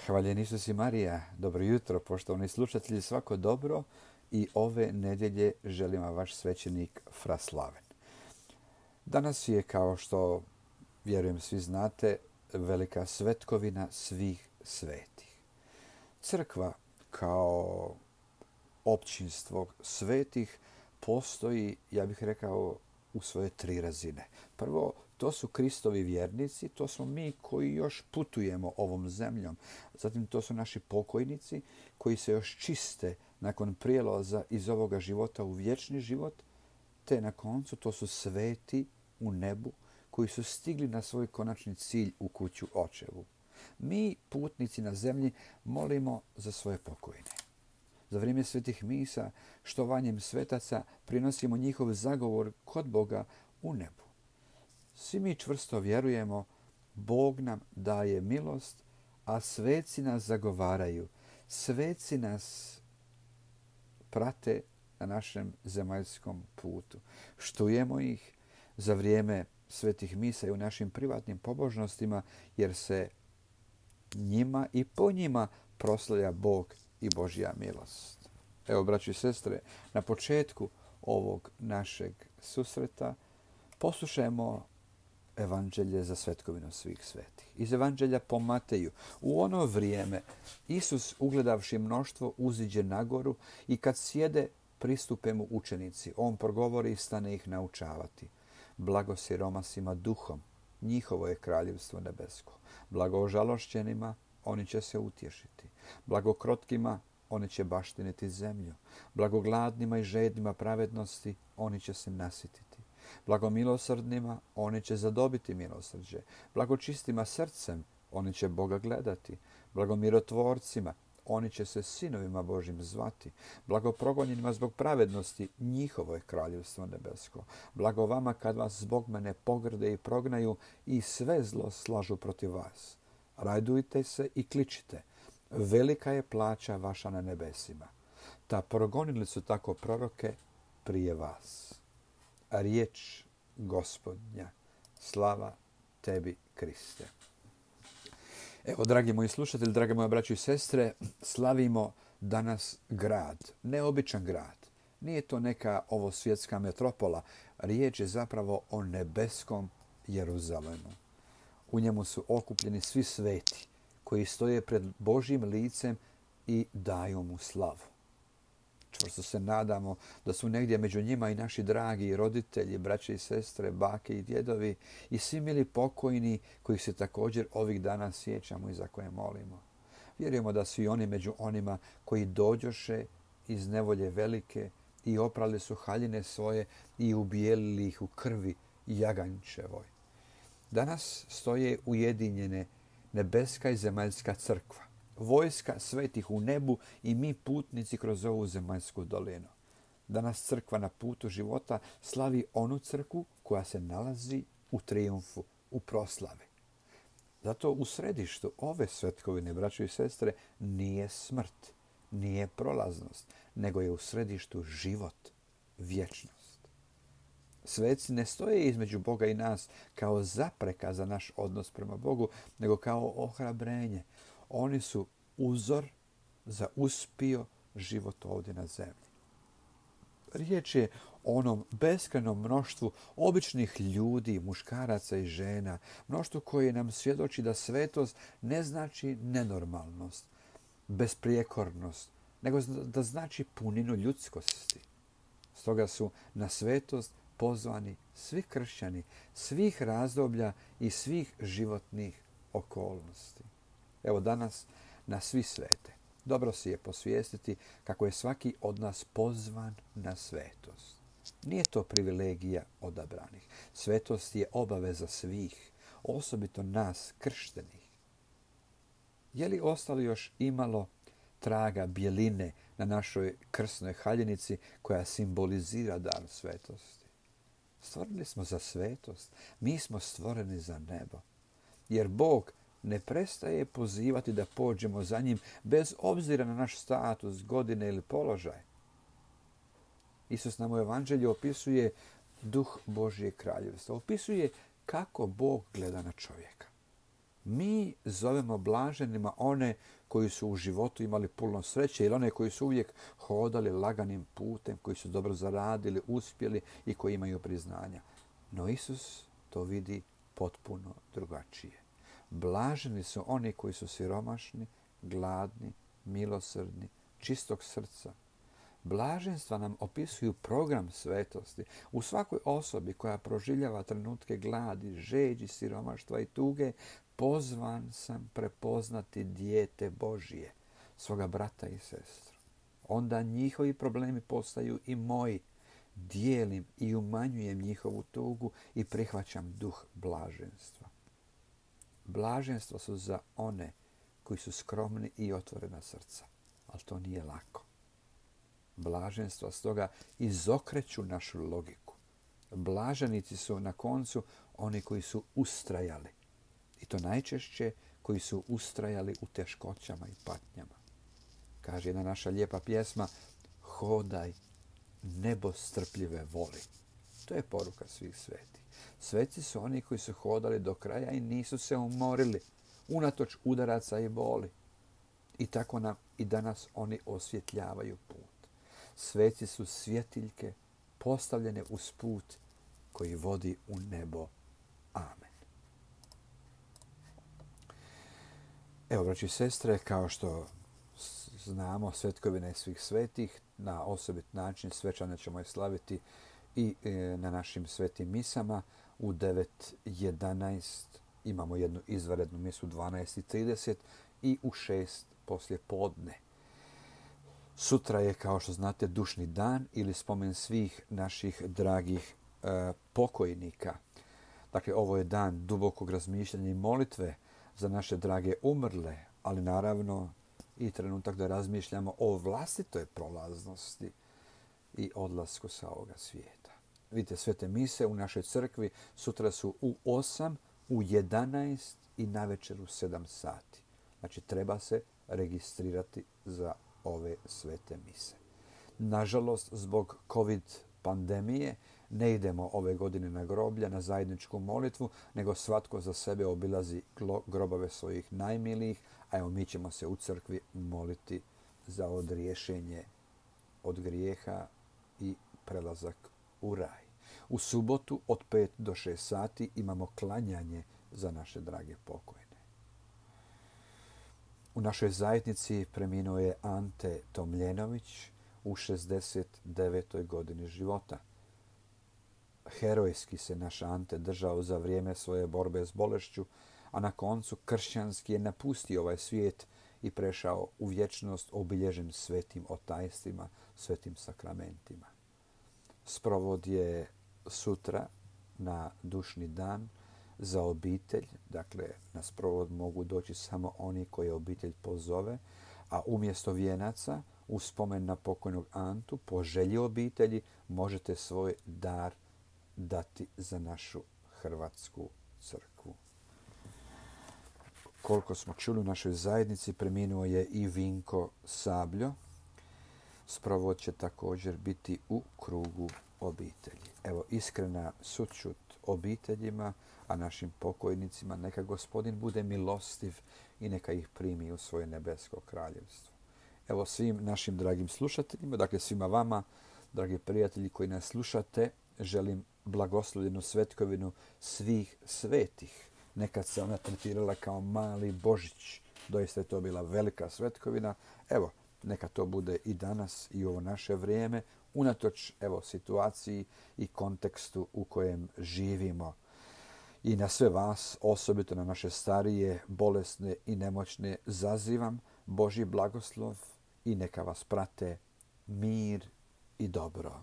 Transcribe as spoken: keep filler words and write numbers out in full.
Hvaljen Isus i Marija, dobro jutro, poštovani slušatelji, svako dobro i ove nedjelje želim vam vaš svećenik Fra Slaven. Danas je, kao što vjerujem svi znate, velika svetkovina svih svetih. Crkva kao općinstvo svetih postoji, ja bih rekao, u svoje tri razine. Prvo, to su Kristovi vjernici, to smo mi koji još putujemo ovom zemljom. Zatim to su naši pokojnici koji se još čiste nakon prijelaza iz ovoga života u vječni život. Te na koncu to su sveti u nebu koji su stigli na svoj konačni cilj u kuću očevu. Mi, putnici na zemlji, molimo za svoje pokojne. Za vrijeme svetih misa, štovanjem svetaca, prinosimo njihov zagovor kod Boga u nebu. Svi mi čvrsto vjerujemo, Bog nam daje milost, a sveci nas zagovaraju. Sveci nas prate na našem zemaljskom putu. Štujemo ih za vrijeme svetih misa i u našim privatnim pobožnostima, jer se njima i po njima proslavlja Bog i Božja milost. Evo, braći i sestre, na početku ovog našeg susreta poslušajmo Evanđelje za svetkovinu svih svetih. Iz Evanđelja po Mateju. U ono vrijeme Isus, ugledavši mnoštvo, uziđe na goru i kad sjede, pristupe mu učenici. On progovori i stane ih naučavati. Blago siromasima duhom, njihovo je kraljevstvo nebesko. Blago ožalošćenima, oni će se utješiti. Blago krotkima, oni će baštiniti zemlju. Blago gladnima i žednima pravednosti, oni će se nasititi. Blago milosrdnima, oni će zadobiti milosrđe. Blago čistima srcem, oni će Boga gledati. Blago mirotvorcima, oni će se sinovima Božim zvati. Blago progonjenima zbog pravednosti, njihovo je kraljevstvo nebesko. Blago vama kad vas zbog mene pogrde i prognaju i sve zlo slažu protiv vas. Radujte se i kličite. Velika je plaća vaša na nebesima. Ta progonili su tako proroke prije vas. Riječ Gospodnja. Slava tebi, Kriste. Evo, dragi moji slušatelji, drage moje braće i sestre, slavimo danas grad, neobičan grad. Nije to neka ovo svjetska metropola. Riječ je zapravo o nebeskom Jeruzalemu. U njemu su okupljeni svi sveti koji stoje pred Božjim licem i daju mu slavu. Čvrsto se nadamo da su negdje među njima i naši dragi roditelji, braće i sestre, bake i djedovi i svi mili pokojni kojih se također ovih dana sjećamo i za koje molimo. Vjerujemo da su i oni među onima koji dođoše iz nevolje velike i oprali su haljine svoje i ubijelili ih u krvi jaganjčevoj. Danas stoje ujedinjene nebeska i zemaljska crkva, vojska svetih u nebu i mi putnici kroz ovu zemaljsku dolinu. Danas crkva na putu života slavi onu crkvu koja se nalazi u trijumfu, u proslavi. Zato u središtu ove svetkovine, braćo i sestre, nije smrt, nije prolaznost, nego je u središtu život, vječnost. Sveci ne stoje između Boga i nas kao zapreka za naš odnos prema Bogu, nego kao ohrabrenje. Oni su uzor za uspio život ovdje na zemlji. Riječ je o onom beskrajnom mnoštvu običnih ljudi, muškaraca i žena, mnoštvu koje nam svjedoči da svetost ne znači nenormalnost, besprijekornost, nego da znači puninu ljudskosti. Stoga su na svetost pozvani svi kršćani, svih razdoblja i svih životnih okolnosti. Evo danas na svi svete. Dobro si je posvijestiti kako je svaki od nas pozvan na svetost. Nije to privilegija odabranih. Svetost je obaveza svih, osobito nas krštenih. Je li ostalo još imalo traga bjeline na našoj krsnoj haljinici koja simbolizira dar svetosti? Stvoreni smo za svetost. Mi smo stvoreni za nebo. Jer Bog ne prestaje pozivati da pođemo za njim bez obzira na naš status, godine ili položaj. Isus nam u Evanđelju opisuje duh Božje kraljevstva. Opisuje kako Bog gleda na čovjeka. Mi zovemo blaženima one koji su u životu imali puno sreće ili one koji su uvijek hodali laganim putem, koji su dobro zaradili, uspjeli i koji imaju priznanja. No Isus to vidi potpuno drugačije. Blaženi su oni koji su siromašni, gladni, milosrdni, čistog srca. Blaženstva nam opisuju program svetosti. U svakoj osobi koja proživljava trenutke gladi, žeđi, siromaštva i tuge, pozvan sam prepoznati dijete Božije, svoga brata i sestru. Onda njihovi problemi postaju i moji. Dijelim i umanjujem njihovu tugu i prihvaćam duh blaženstva. Blaženstva su za one koji su skromni i otvorena srca, ali to nije lako. Blaženstva stoga izokreću našu logiku. Blaženici su na koncu oni koji su ustrajali. I to najčešće koji su ustrajali u teškoćama i patnjama. Kaže jedna naša lijepa pjesma, hodaj, nebo strpljive voli. To je poruka svih svetih. Sveci su oni koji su hodali do kraja i nisu se umorili, unatoč udaraca i boli. I tako nam i danas oni osvjetljavaju put. Sveci su svjetiljke postavljene uz put koji vodi u nebo. Amen. Evo, braći i sestre, kao što znamo, svetkovine svih svetih, na osobit način svečano ćemo je slaviti i na našim svetim misama. U devet jedanaest imamo jednu izvanrednu misu u dvanaest i trideset i u šest poslije podne. Sutra je, kao što znate, dušni dan ili spomen svih naših dragih e, pokojnika. Dakle, ovo je dan dubokog razmišljanja i molitve za naše drage umrle, ali naravno i trenutak da razmišljamo o vlastitoj prolaznosti i odlasku sa ovoga svijeta. Vidite, svete mise u našoj crkvi sutra su u osam, u jedanaest i navečer u sedam sati. Znači, treba se registrirati za ove svete mise. Nažalost, zbog covid pandemije ne idemo ove godine na groblja, na zajedničku molitvu, nego svatko za sebe obilazi grobove svojih najmilijih, a evo mi ćemo se u crkvi moliti za odriješenje od grijeha i prelazak u raj. U subotu od pet do šest sati imamo klanjanje za naše drage pokojne. U našoj zajednici preminuo je Ante Tomljenović u šezdeset devetoj godini života. Herojski se naš Ante držao za vrijeme svoje borbe s bolešću, a na koncu kršćanski je napustio ovaj svijet i prešao u vječnost obilježen svetim otajstvima, svetim sakramentima. Sprovod je sutra na dušni dan za obitelj. Dakle, na sprovod mogu doći samo oni koje obitelj pozove, a umjesto vijenaca, u spomen na pokojnog Antu, po želji obitelji, možete svoj dar dati za našu Hrvatsku crkvu. Koliko smo čuli u našoj zajednici, preminuo je i Vinko Sabljo. Sprovod će također biti u krugu obitelji. Evo, iskrena sućut obiteljima, a našim pokojnicima neka Gospodin bude milostiv i neka ih primi u svoje nebesko kraljevstvo. Evo, svim našim dragim slušateljima, dakle svima vama, dragi prijatelji koji nas slušate, želim blagoslovljenu svetkovinu svih svetih. Nekad se ona tretirala kao mali Božić. Doista je to bila velika svetkovina. Evo, neka to bude i danas i u ovo naše vrijeme, unatoč evo, situaciji i kontekstu u kojem živimo. I na sve vas, osobito na naše starije, bolesne i nemoćne, zazivam Božji blagoslov i neka vas prate mir i dobro.